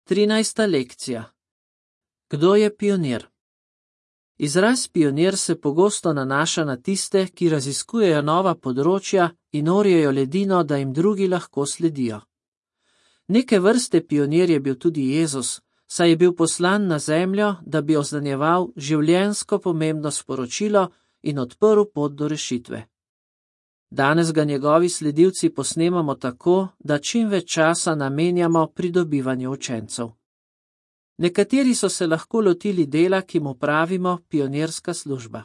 13. lekcija. Kdo je pionir? Izraz pionir se pogosto nanaša na tiste, ki raziskujejo nova področja in orjejo ledino, da jim drugi lahko sledijo. Neke vrste pionir je bil tudi Jezus, saj je bil poslan na zemljo, da bi oznanjeval življenjsko pomembno sporočilo in odprl pot do rešitve. Danes ga njegovi sledilci posnemamo tako, da čim več časa namenjamo pridobivanju učencev. Nekateri so se lahko lotili dela, ki mu pravimo pionirska služba.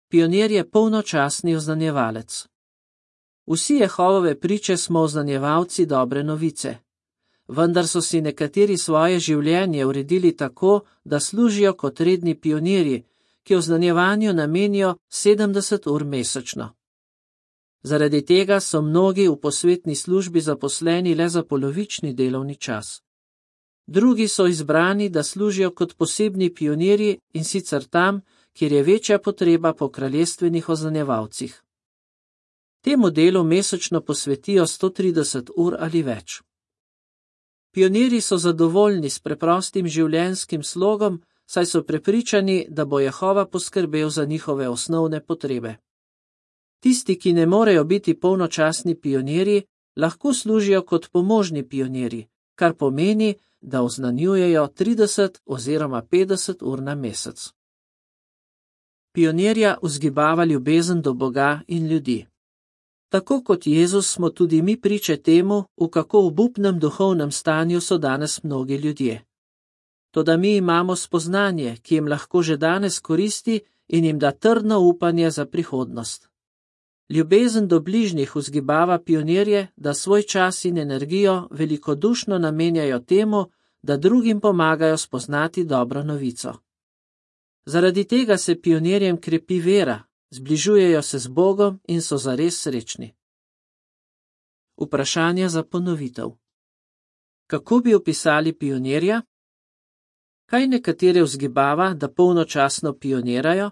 Pionir je polnočasni oznanjevalec. Vsi Jehovove priče smo oznanjevalci dobre novice, vendar so si nekateri svoje življenje uredili tako, da služijo kot redni pionirji, ki oznanjevanju namenijo 70 ur mesečno. Zaradi tega so mnogi v posvetni službi zaposleni le za polovični delovni čas. Drugi so izbrani, da služijo kot posebni pionirji in sicer tam, kjer je večja potreba po kraljestvenih oznanjevalcih. Temu delu mesečno posvetijo 130 ur ali več. Pionirji so zadovoljni s preprostim življenjskim slogom, saj so prepričani, da bo Jehova poskrbel za njihove osnovne potrebe. Tisti, ki ne morejo biti polnočasni pionirji, lahko služijo kot pomožni pionirji, kar pomeni, da oznanjujejo 30 oziroma 50 ur na mesec. Pionirja vzgibava ljubezen do Boga in ljudi. Tako kot Jezus smo tudi mi priče temu, v kako obupnem duhovnem stanju so danes mnogi ljudje. Toda mi imamo spoznanje, ki jim lahko že danes koristi in jim da trdno upanje za prihodnost. Ljubezen do bližnjih vzgibava pionirje, da svoj čas in energijo velikodušno namenjajo temu, da drugim pomagajo spoznati dobro novico. Zaradi tega se pionirjem krepi vera, zbližujejo se z Bogom in so zares srečni. Vprašanje za ponovitev. Kako bi opisali pionirja? Kaj nekatere vzgibava, da polnočasno pionirajo?